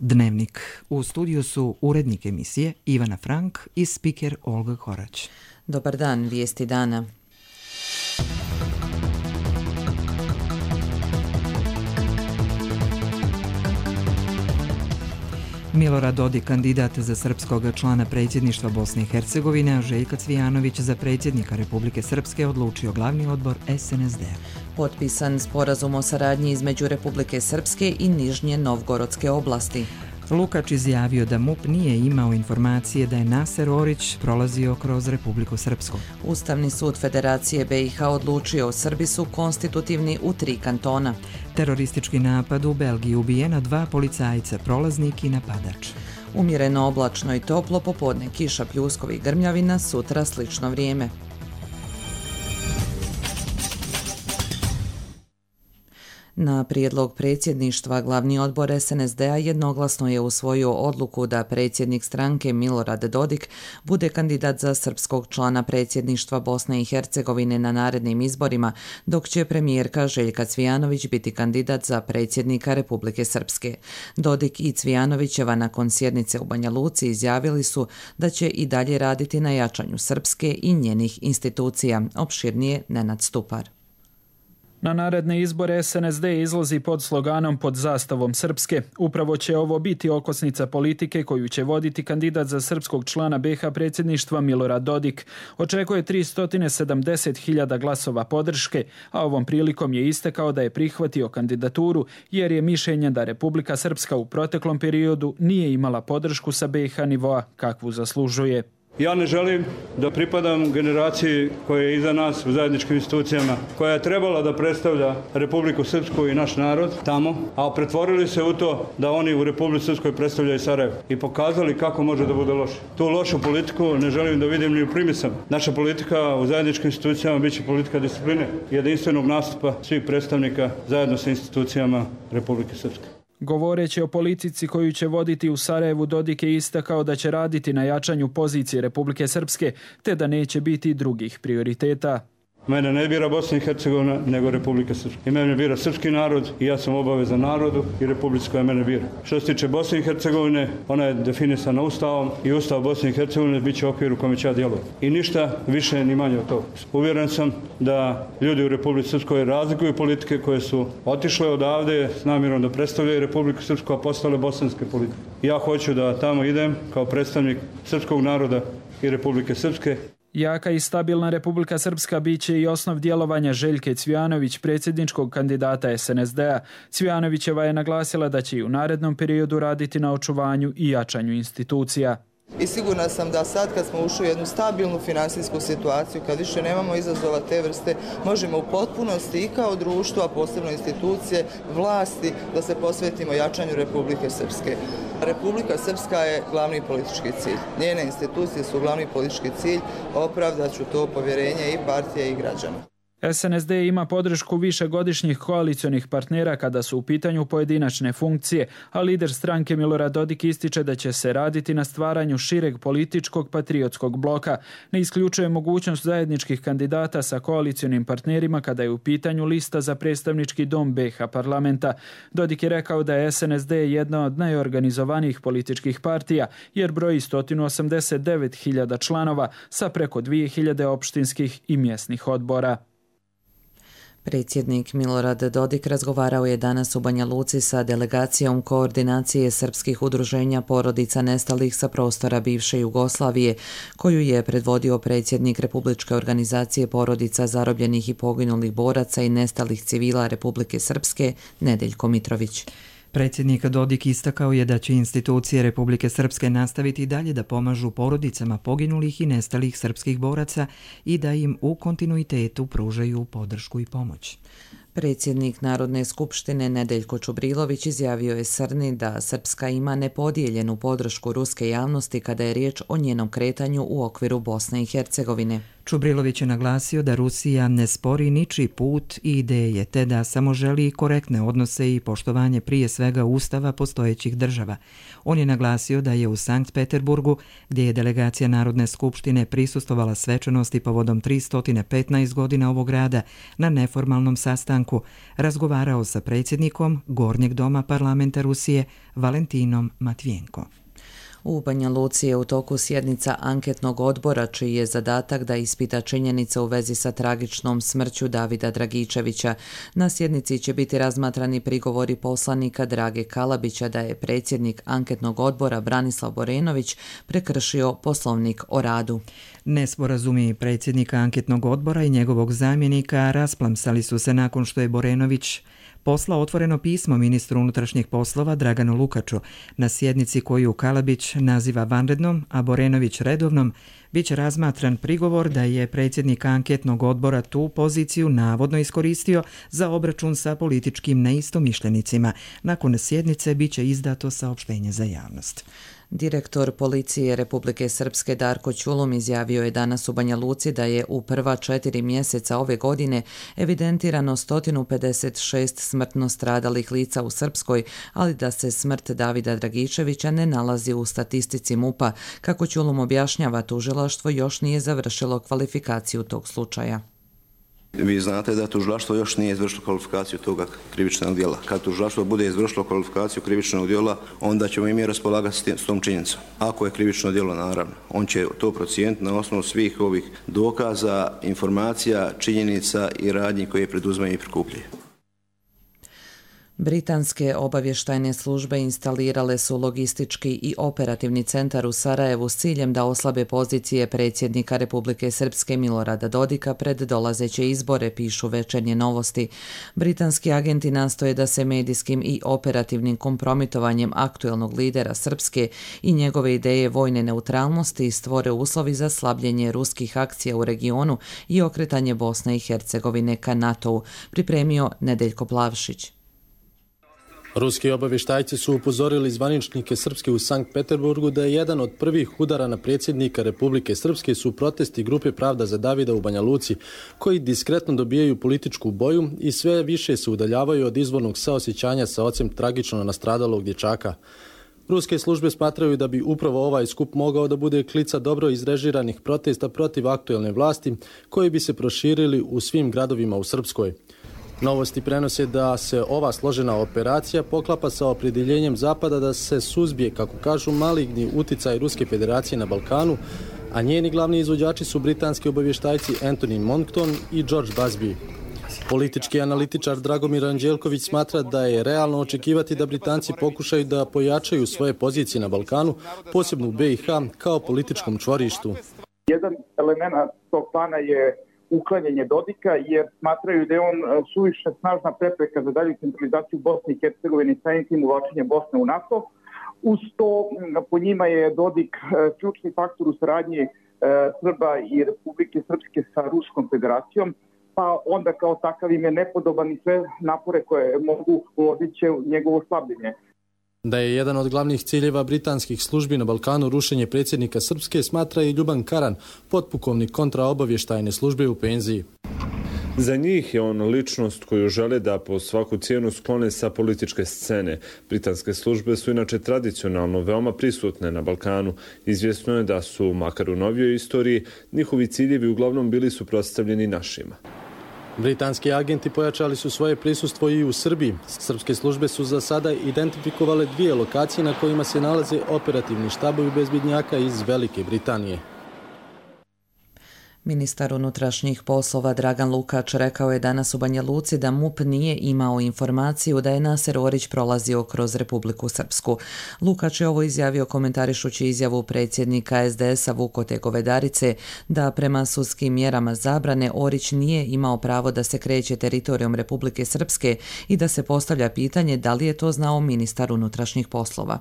Dnevnik. U studiju su urednik emisije Ivana Frank i spiker Olga Korać. Dobar dan, vijesti dana. Milorad Dodik, kandidat za srpskog člana predsjedništva Bosne i Hercegovine, a Željko Cvijanović za predsjednika Republike Srpske, odlučio glavni odbor SNSD-a. Potpisan sporazum o saradnji između Republike Srpske i Nižnje Novgorodske oblasti. Lukač izjavio da MUP nije imao informacije da je Naser Orić prolazio kroz Republiku Srpsku. Ustavni sud Federacije BiH odlučio Srbi su konstitutivni u 3 kantona. Teroristički napad u Belgiji, ubijena 2 policajca, prolaznik i napadač. Umjereno oblačno i toplo, popodne kiša, pljuskovi i grmljavina, sutra slično vrijeme. Na prijedlog predsjedništva glavni odbor SNSD-a jednoglasno je usvojio odluku da predsjednik stranke Milorad Dodik bude kandidat za srpskog člana predsjedništva Bosne i Hercegovine na narednim izborima, dok će premijerka Željka Cvijanović biti kandidat za predsjednika Republike Srpske. Dodik i Cvijanovićeva nakon sjednice u Banja Luci izjavili su da će i dalje raditi na jačanju Srpske i njenih institucija. Opširnije Nenad Stupar. Na naredne izbore SNSD izlazi pod sloganom Pod zastavom Srpske. Upravo će ovo biti okosnica politike koju će voditi kandidat za srpskog člana BiH predsjedništva Milorad Dodik. Očekuje 370.000 glasova podrške, a ovom prilikom je istakao da je prihvatio kandidaturu jer je mišljenja da Republika Srpska u proteklom periodu nije imala podršku sa BiH nivoa kakvu zaslužuje. Ja ne želim da pripadam generaciji koja je iza nas u zajedničkim institucijama, koja je trebala da predstavlja Republiku Srpsku i naš narod tamo, a pretvorili se u to da oni u Republici Srpskoj predstavljaju Sarajevo i pokazali kako može da bude loše. Tu lošu politiku ne želim da vidim ni u primisama. Naša politika u zajedničkim institucijama biće politika discipline i jedinstvenog nastupa svih predstavnika zajedno sa institucijama Republike Srpske. Govoreći o politici koju će voditi u Sarajevu, Dodik je istakao da će raditi na jačanju pozicije Republike Srpske, te da neće biti drugih prioriteta. Mene ne bira Bosna i Hercegovina, nego Republika Srpska. I mene bira srpski narod i ja sam obavezan narodu i Republici koja mene bira. Što se tiče Bosne i Hercegovine, ona je definisana Ustavom i Ustav Bosne i Hercegovine bit će okvir u kome će ja djelovati. I ništa više ni manje od toga. Uvjeren sam da ljudi u Republici Srpskoj razlikuju politike koje su otišle odavde s namjerom da predstavljaju Republiku Srpsku, a postale bosanske politike. Ja hoću da tamo idem kao predstavnik srpskog naroda i Republike Srpske. Jaka i stabilna Republika Srpska bit će i osnov djelovanja Željke Cvijanović, predsjedničkog kandidata SNSD-a. Cvijanovićeva je naglasila da će i u narednom periodu raditi na očuvanju i jačanju institucija. I sigurna sam da sad kad smo ušli u jednu stabilnu finansijsku situaciju, kad više nemamo izazova te vrste, možemo u potpunosti i kao društvo, a posebno institucije, vlasti, da se posvetimo jačanju Republike Srpske. Republika Srpska je glavni politički cilj. Njene institucije su glavni politički cilj, opravdat ću to povjerenje i partije i građana. SNSD ima podršku višegodišnjih koalicionih partnera kada su u pitanju pojedinačne funkcije, a lider stranke Milorad Dodik ističe da će se raditi na stvaranju šireg političkog patriotskog bloka. Ne isključuje mogućnost zajedničkih kandidata sa koalicionim partnerima kada je u pitanju lista za predstavnički dom BiH parlamenta. Dodik je rekao da je SNSD jedna od najorganizovanijih političkih partija jer broji 189.000 članova sa preko 2.000 opštinskih i mjesnih odbora. Predsjednik Milorad Dodik razgovarao je danas u Banja Luci sa delegacijom koordinacije srpskih udruženja porodica nestalih sa prostora bivše Jugoslavije, koju je predvodio predsjednik Republičke organizacije porodica zarobljenih i poginulih boraca i nestalih civila Republike Srpske, Nedeljko Mitrović. Predsjednik Dodik istakao je da će institucije Republike Srpske nastaviti i dalje da pomažu porodicama poginulih i nestalih srpskih boraca i da im u kontinuitetu pružaju podršku i pomoć. Predsjednik Narodne skupštine Nedeljko Čubrilović izjavio je Srni da Srpska ima nepodijeljenu podršku ruske javnosti kada je riječ o njenom kretanju u okviru Bosne i Hercegovine. Čubrilović je naglasio da Rusija ne spori ničiji put i ideje, te da samo želi korektne odnose i poštovanje prije svega ustava postojećih država. On je naglasio da je u Sankt Peterburgu, gdje je delegacija Narodne skupštine prisustvovala svečanosti povodom 315 godina ovog grada, na neformalnom sastanku razgovarao sa predsjednikom Gornjeg doma parlamenta Rusije Valentinom Matvijenko. U Banja Luci je u toku sjednica anketnog odbora čiji je zadatak da ispita činjenice u vezi sa tragičnom smrću Davida Dragičevića. Na sjednici će biti razmatrani prigovori poslanika Drage Kalabića da je predsjednik anketnog odbora Branislav Borenović prekršio Poslovnik o radu. Nesporazumi predsjednika anketnog odbora i njegovog zamjenika rasplamsali su se nakon što je Borenović poslao otvoreno pismo ministru unutrašnjih poslova Draganu Lukaču. Na sjednici koju Kalabić naziva vanrednom, a Borenović redovnom, bit će razmatran prigovor da je predsjednik anketnog odbora tu poziciju navodno iskoristio za obračun sa političkim neistomišljenicima. Nakon sjednice bit će izdato saopštenje za javnost. Direktor policije Republike Srpske Darko Ćulum izjavio je danas u Banja Luci da je u prva 4 mjeseca ove godine evidentirano 156 smrtno stradalih lica u Srpskoj, ali da se smrt Davida Dragičevića ne nalazi u statistici MUP-a. Kako Ćulum objašnjava, tužilaštvo još nije završilo kvalifikaciju tog slučaja. Vi znate da tužilaštvo još nije izvršilo kvalifikaciju toga krivičnog djela. Kad tužilaštvo bude izvršilo kvalifikaciju krivičnog djela, onda ćemo i mi raspolagati s tom činjenicom. Ako je krivično djelo, naravno, on će to procijeniti na osnovu svih ovih dokaza, informacija, činjenica i radnji koje preduzmaju i prikupljaju. Britanske obavještajne službe instalirale su logistički i operativni centar u Sarajevu s ciljem da oslabe pozicije predsjednika Republike Srpske Milorada Dodika pred dolazeće izbore, pišu Večernje novosti. Britanski agenti nastoje da se medijskim i operativnim kompromitovanjem aktuelnog lidera Srpske i njegove ideje vojne neutralnosti stvore uslovi za slabljenje ruskih akcija u regionu i okretanje Bosne i Hercegovine ka NATO-u, pripremio Nedeljko Plavšić. Ruski obavještajci su upozorili zvaničnike Srpske u Sankt Peterburgu da je jedan od prvih udara na predsjednika Republike Srpske su protesti grupe Pravda za Davida u Banja Luci, koji diskretno dobijaju političku boju i sve više se udaljavaju od izvornog saosjećanja sa ocem tragično nastradalog dječaka. Ruske službe smatraju da bi upravo ovaj skup mogao da bude klica dobro izrežiranih protesta protiv aktuelne vlasti, koji bi se proširili u svim gradovima u Srpskoj. Novosti prenose da se ova složena operacija poklapa sa opredjeljenjem Zapada da se suzbije, kako kažu, maligni uticaj Ruske federacije na Balkanu, a njeni glavni izvođači su britanski obavještajci Anthony Monckton i George Busby. Politički analitičar Dragomir Anđelković smatra da je realno očekivati da Britanci pokušaju da pojačaju svoje pozicije na Balkanu, posebno u BiH, kao političkom čvorištu. Jedan element tog plana je uklanjanje Dodika, jer smatraju da je on suviše snažna prepreka za dalju centralizaciju Bosne i Hercegovine i samim tim uvlačenje Bosne u NATO. Uz to, po njima je Dodik ključni faktor u saradnji Srba i Republike Srpske sa Ruskom federacijom, pa onda kao takav im je nepodoban i sve napore koje mogu uložiti će njegovo slabljenje. Da je jedan od glavnih ciljeva britanskih službi na Balkanu rušenje predsjednika Srpske, smatra i Ljuban Karan, potpukovnik kontraobavještajne službe u penziji. Za njih je on ličnost koju žele da po svaku cijenu sklone sa političke scene. Britanske službe su inače tradicionalno veoma prisutne na Balkanu. Izvjesno je da su, makar u novijoj istoriji, njihovi ciljevi uglavnom bili suprotstavljeni našima. Britanski agenti pojačali su svoje prisustvo i u Srbiji. Srpske službe su za sada identifikovale 2 lokacije na kojima se nalaze operativni štabovi bezbjednjaka iz Velike Britanije. Ministar unutrašnjih poslova Dragan Lukač rekao je danas u Banja Luci da MUP nije imao informaciju da je Naser Orić prolazio kroz Republiku Srpsku. Lukač je ovo izjavio komentarišući izjavu predsjednika SDS-a Vukote Govedarice da prema sudskim mjerama zabrane Orić nije imao pravo da se kreće teritorijom Republike Srpske i da se postavlja pitanje da li je to znao ministar unutrašnjih poslova.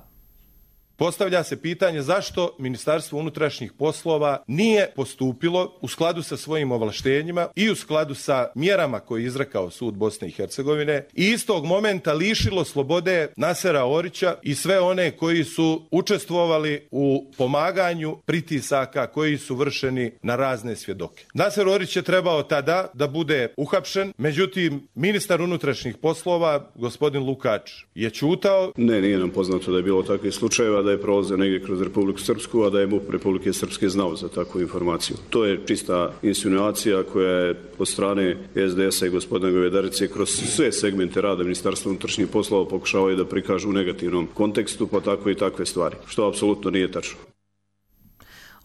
Postavlja se pitanje zašto Ministarstvo unutrašnjih poslova nije postupilo u skladu sa svojim ovlaštenjima i u skladu sa mjerama koje je izrekao sud Bosne i Hercegovine i istog momenta lišilo slobode Nasera Orića i sve one koji su učestvovali u pomaganju pritisaka koji su vršeni na razne svjedoke. Naser Orić je trebao tada da bude uhapšen, međutim ministar unutrašnjih poslova, gospodin Lukač, je ćutao. Nije nam poznato da je bilo takvih slučajeva, da je prolazio negdje kroz Republiku Srpsku, a da je MUP Republike Srpske znao za takvu informaciju. To je čista insinuacija koja je od strane SDS-a i gospodina Govedarice kroz sve segmente rada Ministarstva unutrašnjih poslova pokušavaju da prikažu u negativnom kontekstu, pa tako i takve stvari, što apsolutno nije tačno.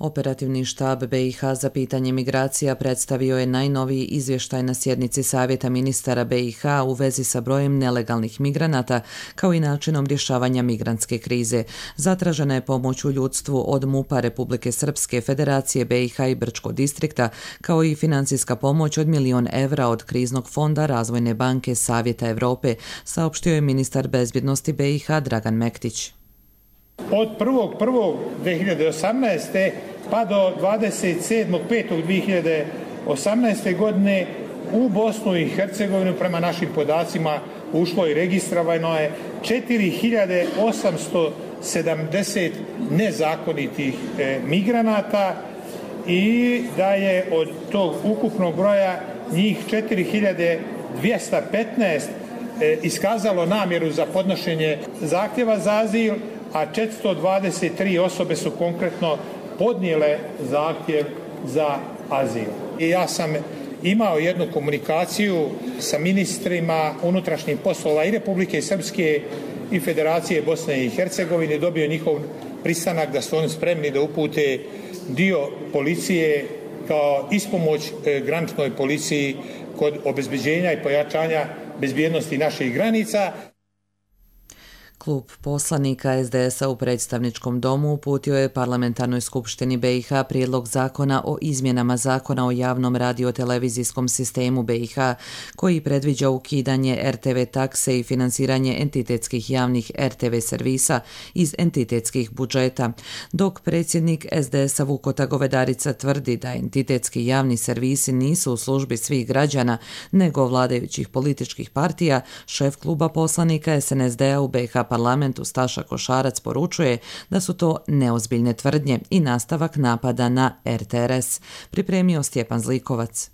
Operativni štab BiH za pitanje migracija predstavio je najnoviji izvještaj na sjednici Savjeta ministara BiH u vezi sa brojem nelegalnih migranata kao i načinom rješavanja migrantske krize. Zatražena je pomoć u ljudstvu od MUP-a Republike Srpske, Federacije BiH i Brčkog distrikta, kao i financijska pomoć od 1 milion evra od Kriznog fonda Razvojne banke Savjeta Evrope, saopštio je ministar bezbjednosti BiH Dragan Mektić. Od 1.1.2018. pa do 27.5.2018. godine u Bosnu i Hercegovinu prema našim podacima ušlo i registrovano je 4.870 nezakonitih migranata i da je od tog ukupnog broja njih 4.215 iskazalo namjeru za podnošenje zahtjeva za azil, a 423 osobe su konkretno podnijele zahtjev za azil. I ja sam imao jednu komunikaciju sa ministrima unutrašnjih poslova i Republike Srpske i Federacije Bosne i Hercegovine, dobio njihov pristanak da su oni spremni da upute dio policije kao ispomoć graničnoj policiji kod obezbeđenja i pojačanja bezbjednosti naših granica. Klub poslanika SDS-a u predstavničkom domu uputio je Parlamentarnoj skupštini BiH prijedlog zakona o izmjenama zakona o javnom radiotelevizijskom sistemu BiH koji predviđa ukidanje RTV takse i finansiranje entitetskih javnih RTV servisa iz entitetskih budžeta, dok predsjednik SDS-a Vukota Govedarica tvrdi da entitetski javni servisi nisu u službi svih građana nego vladajućih političkih partija. Šef kluba poslanika SNSD-a u BiH parlamentu Staša Košarac poručuje da su to neozbiljne tvrdnje i nastavak napada na RTRS. Pripremio Stjepan Zlikovac.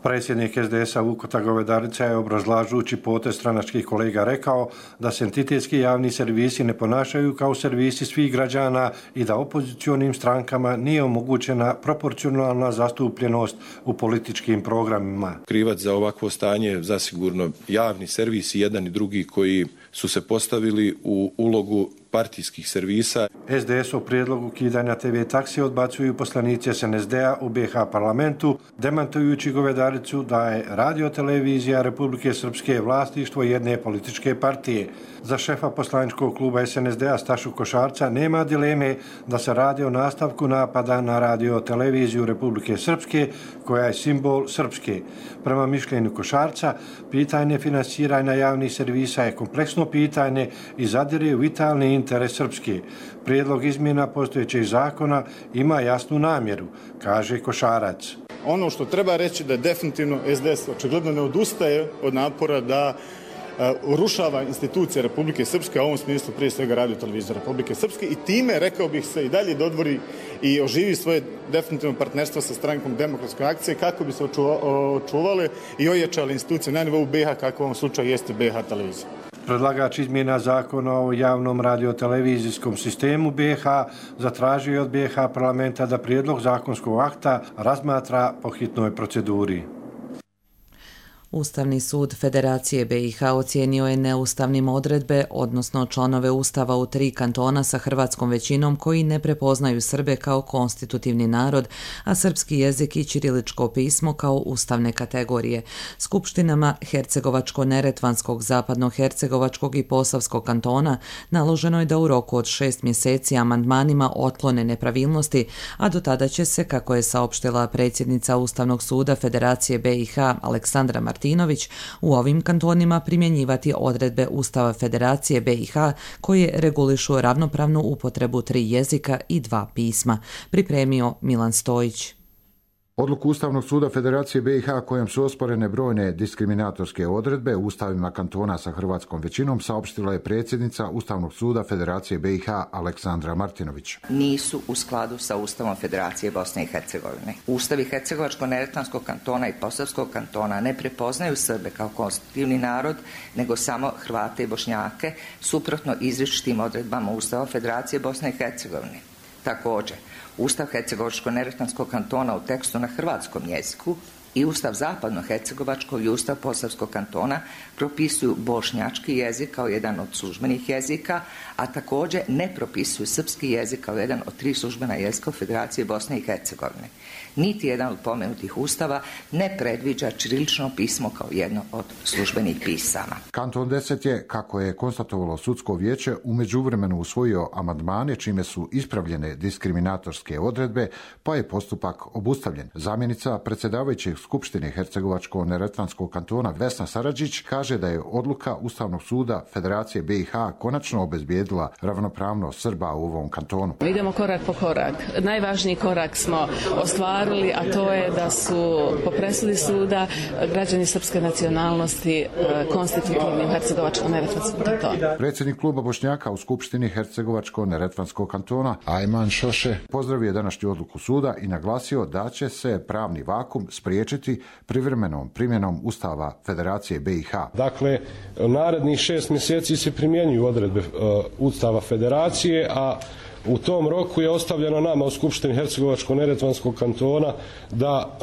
Predsjednik SDS-a Vukota Govedarica je obrazlažući potez stranačkih kolega rekao da se entitetski javni servisi ne ponašaju kao servisi svih građana i da opozicionim strankama nije omogućena proporcionalna zastupljenost u političkim programima. Krivac za ovakvo stanje zasigurno javni servisi, jedan i drugi, koji su se postavili u ulogu partijskih servisa. SDS u prijedlogu ukidanja TV taksi odbacuju poslanici SNSD-a u BiH parlamentu, demantujući Govedaricu da je radiotelevizija Republike Srpske vlasništvo jedne političke partije. Za šefa poslaničkog kluba SNSD-a Stašu Košarca nema dileme da se radi o nastavku napada na radioteleviziju Republike Srpske, koja je simbol Srpske. Prema mišljenju Košarca, pitanje finansiranja javnih servisa je kompleksno pitanje i zadire u vitalni interes Srpske. Prijedlog izmjena postojećeg zakona ima jasnu namjeru, kaže Košarac. Ono što treba reći da definitivno SDS očigledno ne odustaje od napora da urušava institucije Republike Srpske, a u ovom smislu prije svega radiotelevizija Republike Srpske, i time, rekao bih, se i dalje dodvori i oživi svoje definitivno partnerstvo sa strankom Demokratske akcije kako bi se očuvale i ojačale institucije na nivou BiH, kako u ovom slučaju jeste BiH televizija. Predlagač izmjena zakona o javnom radiotelevizijskom sistemu BiH zatražio je od BiH parlamenta da prijedlog zakonskog akta razmatra po hitnoj proceduri. Ustavni sud Federacije BiH ocijenio je neustavnim odredbe, odnosno članove Ustava u 3 kantona sa hrvatskom većinom koji ne prepoznaju Srbe kao konstitutivni narod, a srpski jezik i ćiriličko pismo kao ustavne kategorije. Skupštinama Hercegovačko-Neretvanskog, Zapadno-Hercegovačkog i Posavskog kantona naloženo je da u roku od 6 mjeseci amandmanima otklone nepravilnosti, a do tada će se, kako je saopštila predsjednica Ustavnog suda Federacije BiH Aleksandra Martinović, Martinović, u ovim kantonima primjenjivati odredbe Ustava Federacije BiH koje regulišu ravnopravnu upotrebu 3 jezika i 2 pisma, pripremio Milan Stojić. Odluku Ustavnog suda Federacije BiH kojom su osporene brojne diskriminatorske odredbe u ustavima kantona sa hrvatskom većinom saopštila je predsjednica Ustavnog suda Federacije BiH Aleksandra Martinović. Nisu u skladu sa Ustavom Federacije Bosne i Hercegovine. Ustavi Hercegovačko-Neretvanskog kantona i Posavskog kantona ne prepoznaju Srbe kao konstitutivni narod, nego samo Hrvate i Bošnjake, suprotno izričitim odredbama Ustava Federacije Bosne i Hercegovine. Također, Ustav Hercegovačko-Neretvanskog kantona u tekstu na hrvatskom jeziku i Ustav Zapadno-Hercegovačkog i Ustav Posavskog kantona propisuju bošnjački jezik kao jedan od službenih jezika, a također ne propisuju srpski jezik kao jedan od 3 službena jezika u Federaciji Bosne i Hercegovine. Niti jedan od pomenutih ustava ne predviđa ćirilično pismo kao jedno od službenih pisama. Kanton 10 je, kako je konstatovalo sudsko vijeće, u međuvremenu usvojio amandmane čime su ispravljene diskriminatorske odredbe, pa je postupak obustavljen. Zamjenica predsjedavajućeg Skupštine Hercegovačko-Neretvanskog kantona Vesna Saradžić kaže da je odluka Ustavnog suda Federacije BiH konačno obezbijedila ravnopravnost Srba u ovom kantonu. Idemo korak po korak. Najvažniji korak smo ostvarili, a to je da su po presudi suda građani srpske nacionalnosti konstitutivni u Hercegovačko-Neretvanskom kantonu. Predsjednik kluba Bošnjaka u Skupštini Hercegovačko-Neretvanskog kantona Ajman Šoše pozdravio današnju odluku suda i naglasio da će se pravni vakum spriječiti privremenom primjenom Ustava Federacije BiH. Dakle, narednih 6 mjeseci se primjenjuju odredbe Ustava Federacije, a u tom roku je ostavljeno nama u Skupštini Hercegovačko-Neretvanskog kantona da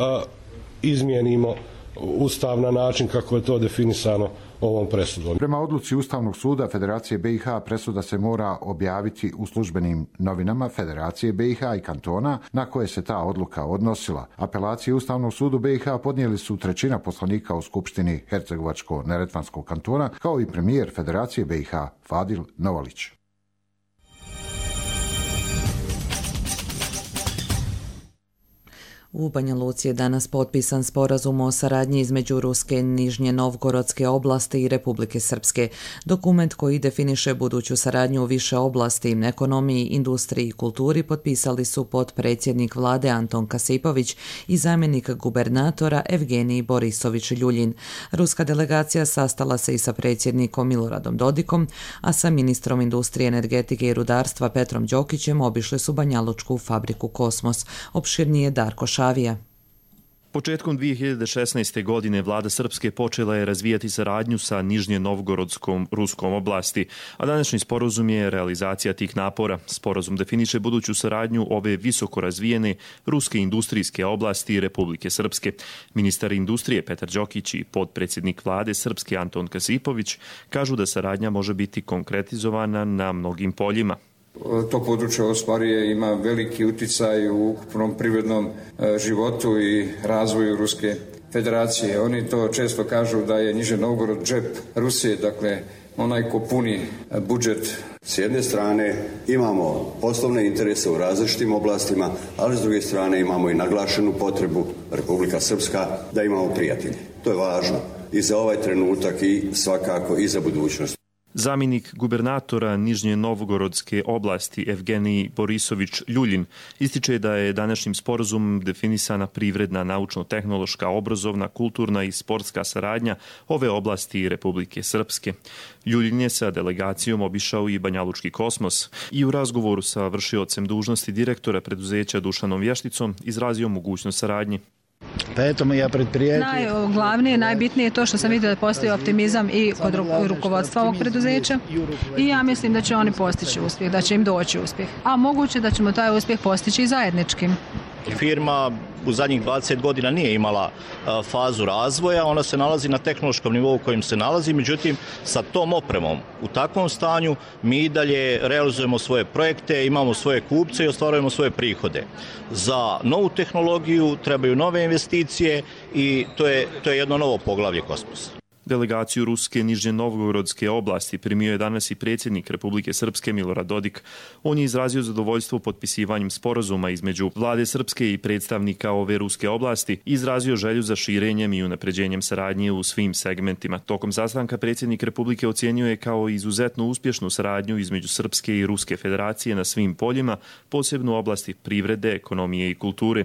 izmijenimo Ustav na način kako je to definisano ovom presudom. Prema odluci Ustavnog suda Federacije BiH presuda se mora objaviti u službenim novinama Federacije BiH i kantona na koje se ta odluka odnosila. Apelacije Ustavnog sudu BiH podnijeli su 1/3 poslanika u Skupštini Hercegovačko-Neretvanskog kantona, kao i premijer Federacije BiH Fadil Novalić. U Banja Luci je danas potpisan sporazum o saradnji između Ruske, Nižnje Novgorodske oblasti i Republike Srpske. Dokument koji definiše buduću saradnju u više oblasti, ekonomiji, industriji i kulturi potpisali su potpredsjednik vlade Anton Kasipović i zamjenik gubernatora Evgenij Borisović Ljuljin. Ruska delegacija sastala se i sa predsjednikom Miloradom Dodikom, a sa ministrom industrije, energetike i rudarstva Petrom Đokićem obišli su banjalučku fabriku Kosmos. Opširnije Darko Šavija. Početkom 2016. godine vlada Srpske počela je razvijati saradnju sa Nižnje Novgorodskom ruskom oblasti, a današnji sporazum je realizacija tih napora. Sporazum definiše buduću saradnju ove visoko razvijene ruske industrijske oblasti Republike Srpske. Ministar industrije Petar Đokić i potpredsjednik vlade Srpske Anton Kasipović kažu da saradnja može biti konkretizovana na mnogim poljima. To područje ostvaruje ima veliki uticaj u ukupnom privrednom životu i razvoju Ruske federacije. Oni to često kažu da je Nižni Novgorod džep Rusije, dakle onaj ko puni budžet. S jedne strane imamo poslovne interese u različitim oblastima, ali s druge strane imamo i naglašenu potrebu Republika Srpska da imamo prijatelje. To je važno i za ovaj trenutak i svakako i za budućnost. Zamjenik gubernatora Nižnje Novgorodske oblasti Evgenij Borisović Ljuljin ističe da je današnjim sporazumom definisana privredna, naučno-tehnološka, obrazovna, kulturna i sportska saradnja ove oblasti Republike Srpske. Ljuljin je sa delegacijom obišao i banjalučki Kosmos i u razgovoru sa vršiocem dužnosti direktora preduzeća Dušanom Vješticom izrazio mogućnost saradnje. Najglavnije, najbitnije je to što sam vidio da postoji optimizam i kod rukovodstva ovog preduzeća i ja mislim da će oni postići uspjeh, da će im doći uspjeh. A moguće da ćemo taj uspjeh postići i zajedničkim. Firma u zadnjih 20 godina nije imala fazu razvoja, ona se nalazi na tehnološkom nivou u kojem se nalazi, međutim sa tom opremom u takvom stanju mi i dalje realizujemo svoje projekte, imamo svoje kupce i ostvarujemo svoje prihode. Za novu tehnologiju trebaju nove investicije i to je jedno novo poglavlje Kosmosa. Delegaciju Ruske Nižnje Novgorodske oblasti primio je danas i predsjednik Republike Srpske Milorad Dodik. On je izrazio zadovoljstvo potpisivanjem sporazuma između vlade Srpske i predstavnika ove ruske oblasti i izrazio želju za širenjem i unapređenjem saradnje u svim segmentima. Tokom sastanka predsjednik Republike ocijenio je kao izuzetno uspješnu saradnju između Srpske i Ruske federacije na svim poljima, posebno u oblasti privrede, ekonomije i kulture.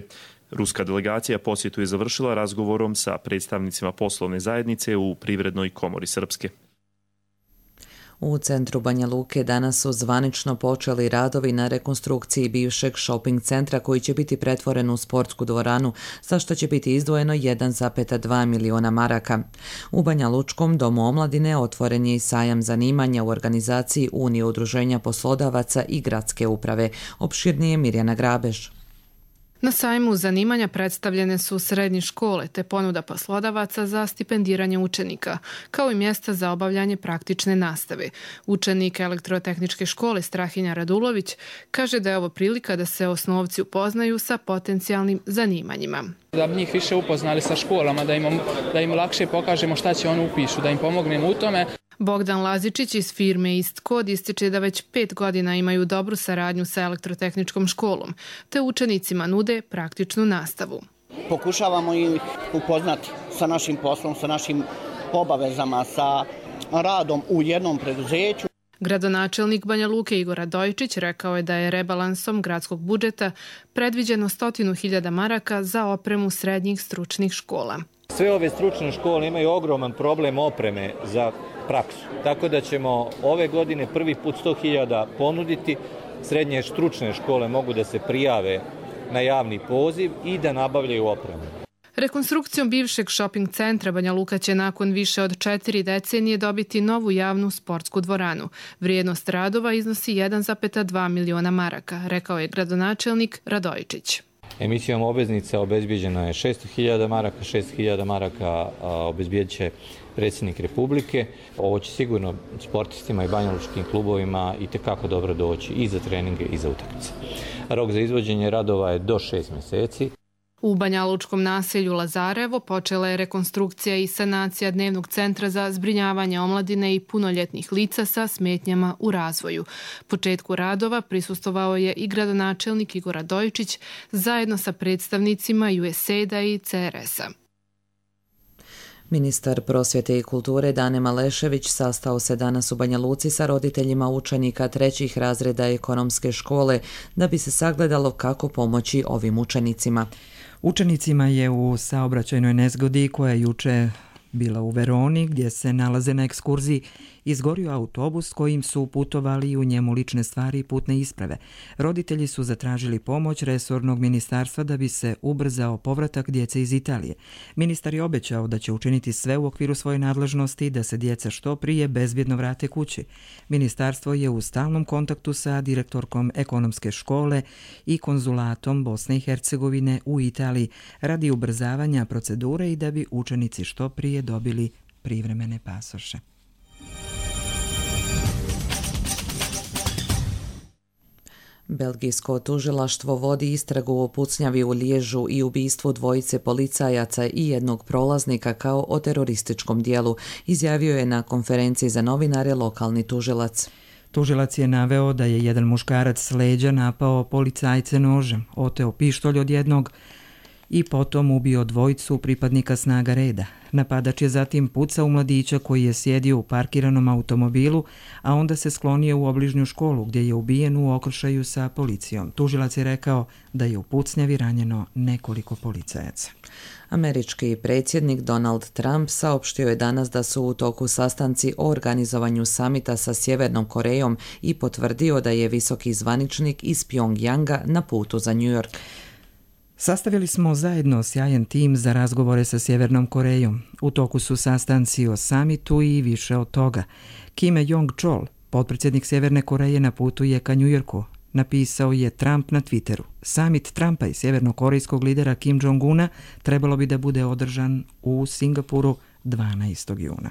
Ruska delegacija posjetu je završila razgovorom sa predstavnicima poslovne zajednice u Privrednoj komori Srpske. U centru Banja Luke danas su zvanično počeli radovi na rekonstrukciji bivšeg shopping centra koji će biti pretvoren u sportsku dvoranu, za što će biti izdvojeno 1,2 miliona maraka. U Banja Lučkom domu omladine otvoren je i sajam zanimanja u organizaciji Unije udruženja poslodavaca i gradske uprave. Opširnije Mirjana Grabež. Na sajmu zanimanja predstavljene su srednje škole te ponuda poslodavaca za stipendiranje učenika, kao i mjesta za obavljanje praktične nastave. Učenik elektrotehničke škole Strahinja Radulović kaže da je ovo prilika da se osnovci upoznaju sa potencijalnim zanimanjima. Da bi njih više upoznali sa školama, da im lakše pokažemo šta će oni upišu, da im pomognemo u tome. Bogdan Lazičić iz firme East Code ističe da već 5 godina imaju dobru saradnju sa elektrotehničkom školom, te učenicima nude praktičnu nastavu. Pokušavamo ih upoznati sa našim poslom, sa našim obavezama, sa radom u jednom preduzeću. Gradonačelnik Banja Luke Igor Radojičić rekao je da je rebalansom gradskog budžeta predviđeno 100.000 maraka za opremu srednjih stručnih škola. Sve ove stručne škole imaju ogroman problem opreme za praksu, tako da ćemo ove godine prvi put 100.000 ponuditi. Srednje stručne škole mogu da se prijave na javni poziv i da nabavljaju opremu. Rekonstrukcijom bivšeg shopping centra Banja Luka će nakon više od 4 decenije dobiti novu javnu sportsku dvoranu. Vrijednost radova iznosi 1,2 miliona maraka, rekao je gradonačelnik Radojičić. Emisijom obveznica obezbijeđeno je 600.000 maraka, 600.000 maraka obezbijedit će predsjednik Republike. Ovo će sigurno sportistima i banjalučkim klubovima itekako dobro doći i za treninge i za utakmice. Rok za izvođenje radova je do 6 mjeseci. U banjalučkom naselju Lazarevo počela je rekonstrukcija i sanacija dnevnog centra za zbrinjavanje omladine i punoljetnih lica sa smetnjama u razvoju. Početku radova prisustvovao je i gradonačelnik Igor Radojičić zajedno sa predstavnicima USAID-a i CRS-a. Ministar prosvjete i kulture Dane Malešević sastao se danas u Banja Luci sa roditeljima učenika 3. razreda ekonomske škole da bi se sagledalo kako pomoći ovim učenicima. Učenicima je u saobraćajnoj nezgodi koja je juče bila u Veroni, gdje se nalaze na ekskurziji, izgorio autobus kojim su putovali i u njemu lične stvari i putne isprave. Roditelji su zatražili pomoć resornog ministarstva da bi se ubrzao povratak djece iz Italije. Ministar je obećao da će učiniti sve u okviru svoje nadležnosti da se djeca što prije bezbjedno vrate kući. Ministarstvo je u stalnom kontaktu sa direktorkom ekonomske škole i konzulatom Bosne i Hercegovine u Italiji radi ubrzavanja procedure i da bi učenici što prije dobili privremene pasoše. Belgijsko tužilaštvo vodi istragu o pucnjavi u Liježu i ubistvu dvojice policajaca i jednog prolaznika kao o terorističkom dijelu, izjavio je na konferenciji za novinare lokalni tužilac. Tužilac je naveo da je jedan muškarac s leđa napao policajce nožem, oteo pištolj od jednog i potom ubio dvojicu pripadnika snaga reda. Napadač je zatim pucao u mladića koji je sjedio u parkiranom automobilu, a onda se sklonio u obližnju školu gdje je ubijen u okršaju sa policijom. Tužilac je rekao da je u pucnjavi ranjeno nekoliko policajaca. Američki predsjednik Donald Trump saopštio je danas da su u toku sastanci o organizovanju samita sa Sjevernom Korejom i potvrdio da je visoki zvaničnik iz Pyongyanga na putu za New York. Sastavili smo zajedno sjajan tim za razgovore sa Sjevernom Korejom. U toku su sastanci o samitu i više od toga. Kim Jong-chol, potpredsjednik Sjeverne Koreje, na putu je ka New Yorku, napisao je Trump na Twitteru. Samit Trumpa i sjevernokorejskog lidera Kim Jong-una trebalo bi da bude održan u Singapuru 12. juna.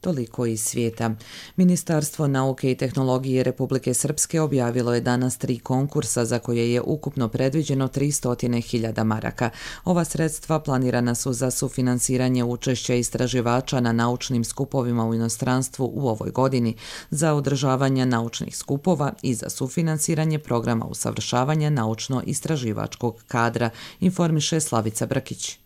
Toliko iz svijeta. Ministarstvo nauke i tehnologije Republike Srpske objavilo je danas 3 konkursa za koje je ukupno predviđeno 300.000 maraka. Ova sredstva planirana su za sufinansiranje učešća istraživača na naučnim skupovima u inostranstvu u ovoj godini, za održavanje naučnih skupova i za sufinansiranje programa usavršavanja naučno-istraživačkog kadra, informiše Slavica Brkić.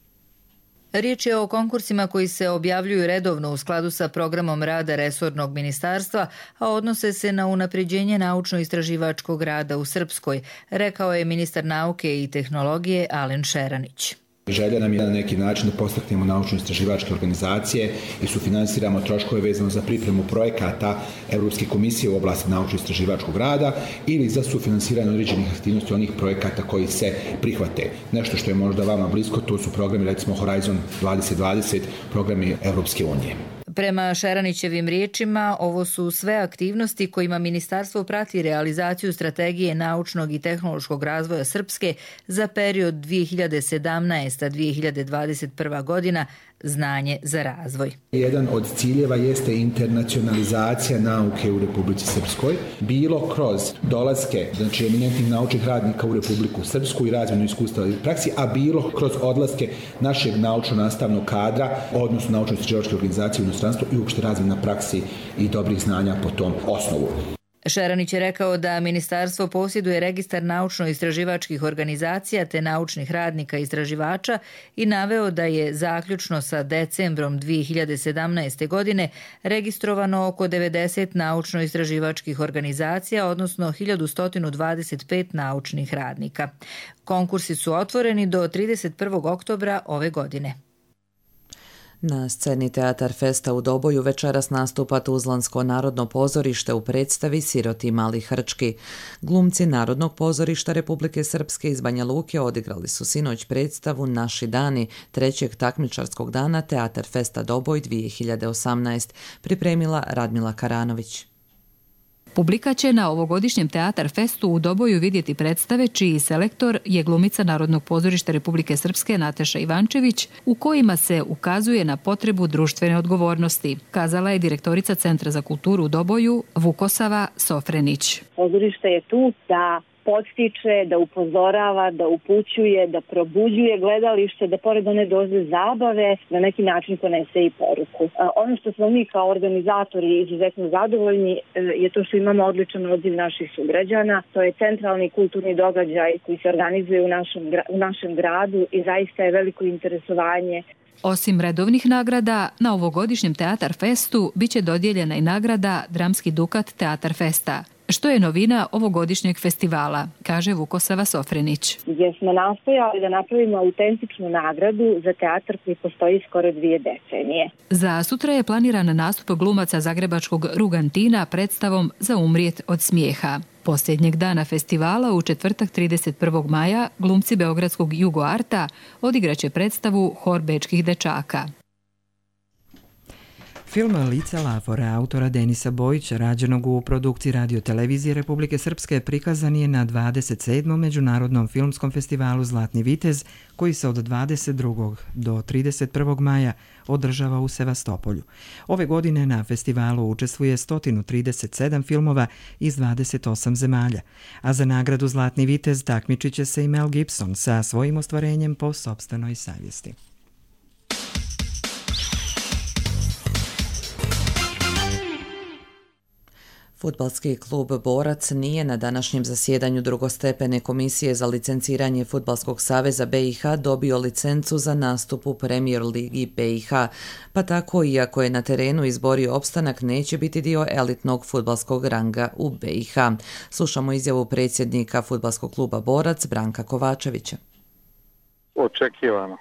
Riječ je o konkursima koji se objavljuju redovno u skladu sa programom rada resornog ministarstva, a odnose se na unapređenje naučno-istraživačkog rada u Srpskoj, rekao je ministar nauke i tehnologije Alen Šeranić. Želja nam je na neki način da podstaknemo naučno-istraživačke organizacije i sufinansiramo troškove vezano za pripremu projekata Europske komisije u oblasti naučno-istraživačkog rada ili za sufinansiranje određenih aktivnosti onih projekata koji se prihvate. Nešto što je možda vama blisko, to su programi, recimo Horizon 2020, programi Europske unije. Prema Šeranićevim riječima, ovo su sve aktivnosti kojima ministarstvo prati realizaciju strategije naučnog i tehnološkog razvoja Srpske za period 2017-2021 godina, znanje za razvoj. Jedan od ciljeva jeste internacionalizacija nauke u Republici Srpskoj, bilo kroz dolaske, znači eminentnih naučnih radnika u Republiku Srpsku i razmjenu iskustva i praksi, a bilo kroz odlaske našeg naučno-nastavnog kadra, odnosno naučno-istraživačke organizacije u inostranstvu i uopšte razmjena praksi i dobrih znanja po tom osnovu. Šeranić je rekao da ministarstvo posjeduje registar naučno-istraživačkih organizacija te naučnih radnika i istraživača i naveo da je zaključno sa decembrom 2017. godine registrovano oko 90 naučno-istraživačkih organizacija, odnosno 1125 naučnih radnika. Konkursi su otvoreni do 31. oktobra ove godine. Na sceni Teatar Festa u Doboju večeras nastupa Tuzlansko narodno pozorište u predstavi Siroti mali hrčki. Glumci Narodnog pozorišta Republike Srpske iz Banja Luke odigrali su sinoć predstavu Naši dani, 3. takmičarskog dana Teatar Festa Doboj 2018, pripremila Radmila Karanović. Publika će na ovogodišnjem Teatar Festu u Doboju vidjeti predstave čiji selektor je glumica Narodnog pozorišta Republike Srpske Nataša Ivančević, u kojima se ukazuje na potrebu društvene odgovornosti, kazala je direktorica Centra za kulturu u Doboju Vukosava Sofrenić. Pozorište je tu da podstiče, da upozorava, da upućuje, da probuđuje gledalište, da pored one doze zabave na neki način ponese i poruku. Ono što smo mi kao organizatori izuzetno zadovoljni je to što imamo odličan odziv naših sugrađana. To je centralni kulturni događaj koji se organizuje u našem gradu i zaista je veliko interesovanje. Osim redovnih nagrada, na ovogodišnjem Teatar Festu biće dodijeljena i nagrada Dramski dukat Teatar Festa, što je novina ovogodišnjeg festivala, kaže Vukosava Sofrenić. Gdje smo nastojali da napravimo autentičnu nagradu za teatar koji postoji skoro 2 decenije. Za sutra je planiran nastup glumaca zagrebačkog Rugantina predstavom Za umrijet od smijeha. Posljednjeg dana festivala, u četvrtak 31. maja, glumci beogradskog Jugo Arta odigraće predstavu Hor bečkih dečaka. Film Lica Lafora autora Denisa Bojića, rađenog u produkciji Radio-televizije Republike Srpske, prikazan je na 27. Međunarodnom filmskom festivalu Zlatni vitez, koji se od 22. do 31. maja održava u Sevastopolju. Ove godine na festivalu učestvuje 137 filmova iz 28 zemalja, a za nagradu Zlatni vitez takmičit će se i Mel Gibson sa svojim ostvarenjem po sopstvenoj savjesti. Fudbalski klub Borac nije na današnjem zasjedanju drugostepene komisije za licenciranje Fudbalskog saveza BiH dobio licencu za nastup u Premier ligi BiH, pa tako, iako je na terenu izborio opstanak, neće biti dio elitnog fudbalskog ranga u BiH. Slušamo izjavu predsjednika Fudbalskog kluba Borac Branka Kovačevića. Očekivano.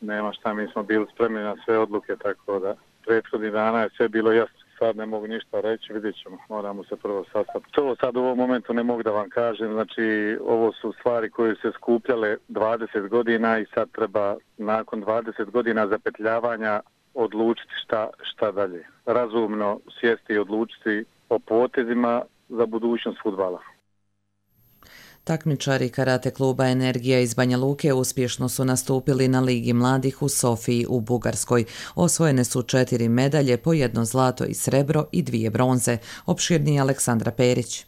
Nema šta, mi smo bili spremni na sve odluke, tako da prethodnih dana je sve bilo jasno. Sad ne mogu ništa reći, vidjet ćemo, moramo se prvo sastati. To sad u ovom momentu ne mogu da vam kažem, znači ovo su stvari koje se skupljale 20 godina i sad treba nakon 20 godina zapetljavanja odlučiti šta dalje. Razumno sjesti i odlučiti o potezima za budućnost fudbala. Takmičari karate kluba Energija iz Banja Luke uspješno su nastupili na Ligi mladih u Sofiji u Bugarskoj. Osvojene su 4 medalje, po 1 zlato i srebro i 2 bronze. Opširnije Aleksandra Perić.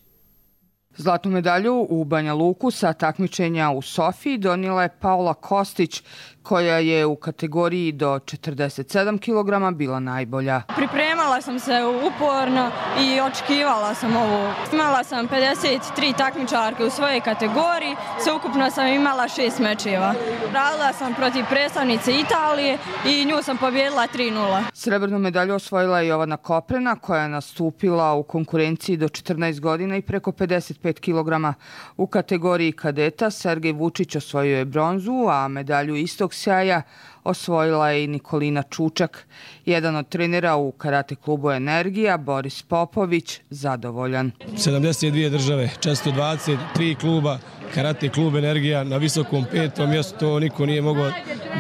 Zlatnu medalju u Banja Luku sa takmičenja u Sofiji donijela je Paula Kostić, koja je u kategoriji do 47 kg bila najbolja. Pripremala sam se uporno i očekivala sam ovo. Imala sam 53 takmičarke u svojoj kategoriji, sveukupno sam imala 6 mečeva. Radila sam protiv predstavnice Italije i nju sam pobijedila 3-0. Srebrnu medalju osvojila je Jovana Koprena, koja je nastupila u konkurenciji do 14 godina i preko 55 kg. U kategoriji kadeta Sergej Vučić osvojio je bronzu, a medalju istog sjaja osvojila je i Nikolina Čučak. Jedan od trenera u karate klubu Energija, Boris Popović, zadovoljan. 72 države, 423 kluba, karate klub Energija na visokom 5. mjestu, to niko nije mogao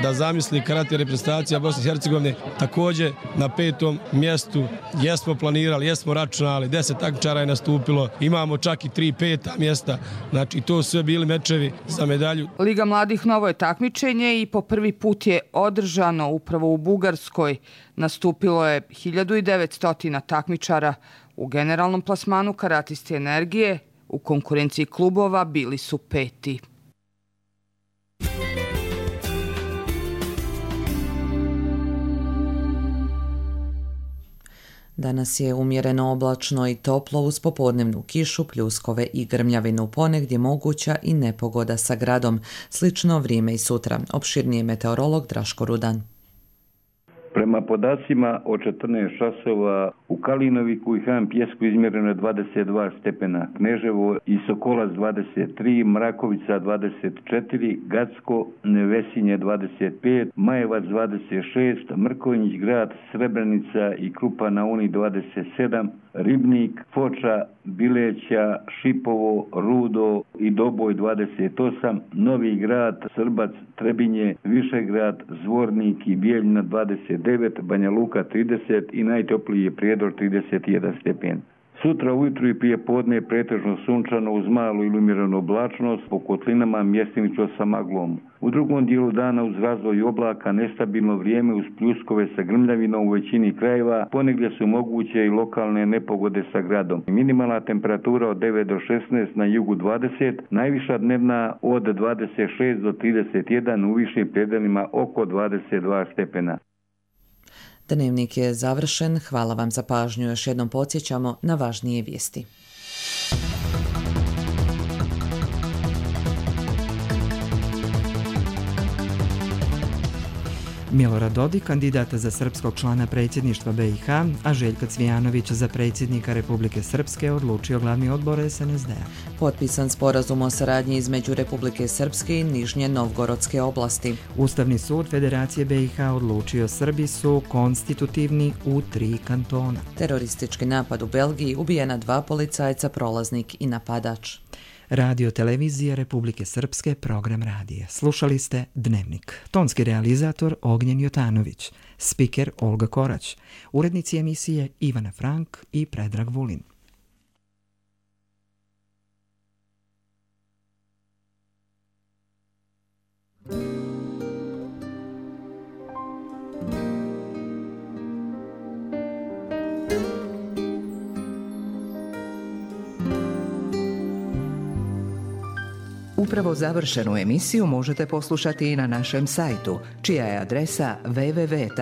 da zamisli. Karate reprezentacija Bosne i Hercegovine također na 5. mjestu. Jesmo planirali, jesmo računali, 10 takmičara je nastupilo, imamo čak i 3 5. mjesta, znači to su sve bili mečevi za medalju. Liga mladih novo je takmičenje i po prvi put je održano upravo u Bugarskoj. Nastupilo je 1900 takmičara. U generalnom plasmanu karatisti Energije u konkurenciji klubova bili su 5. Danas je umjereno oblačno i toplo uz popodnevnu kišu, pljuskove i grmljavinu, ponegdje moguća i nepogoda sa gradom. Slično vrijeme i sutra. Opširnije meteorolog Draško Rudan. Prema podacima od 14 časova u Kalinoviku i Han Pjesku izmjereno je 22 stepena, Kneževo i Sokolac 23, Mrakovica 24, Gacko, Nevesinje 25, Majevac 26, Mrkonjić grad, Srebrenica i Krupa na Uni 27, Ribnik, Foča, Bileća, Šipovo, Rudo i Doboj 28, Novi grad, Srbac, Trebinje, Višegrad, Zvornik i Bijeljina 29, Banja Luka 30 i najtopliji je Prijedor 31 stepen. Sutra ujutru i prije podne je pretežno sunčano uz malu ili umjerenu oblačnost, po kotlinama mjestimično sa maglom. U drugom dijelu dana uz razvoj oblaka nestabilno vrijeme uz pljuskove sa grmljavinom u većini krajeva, ponegdje su moguće i lokalne nepogode sa gradom. Minimalna temperatura od 9 do 16, na jugu 20, najviša dnevna od 26 do 31, u višim predelima oko 22 stepena. Dnevnik je završen. Hvala vam za pažnju. Još jednom podsjećamo na važnije vijesti. Milorad Dodik, kandidata za srpskog člana predsjedništva BiH, a Željko Cvijanović za predsjednika Republike Srpske, odlučio glavni odbor SNSD-a. Potpisan sporazum o saradnji između Republike Srpske i Nižnje Novgorodske oblasti. Ustavni sud Federacije BiH odlučio Srbi su konstitutivni u 3 kantona. Teroristički napad u Belgiji, ubijena 2 policajca, prolaznik i napadač. Radio televizija Republike Srpske, program radija. Slušali ste Dnevnik. Tonski realizator Ognjen Jotanović, spiker Olga Korać, urednici emisije Ivana Frank i Predrag Vulin. Upravo završenu emisiju možete poslušati i na našem sajtu, čija je adresa www.rtrs.tv.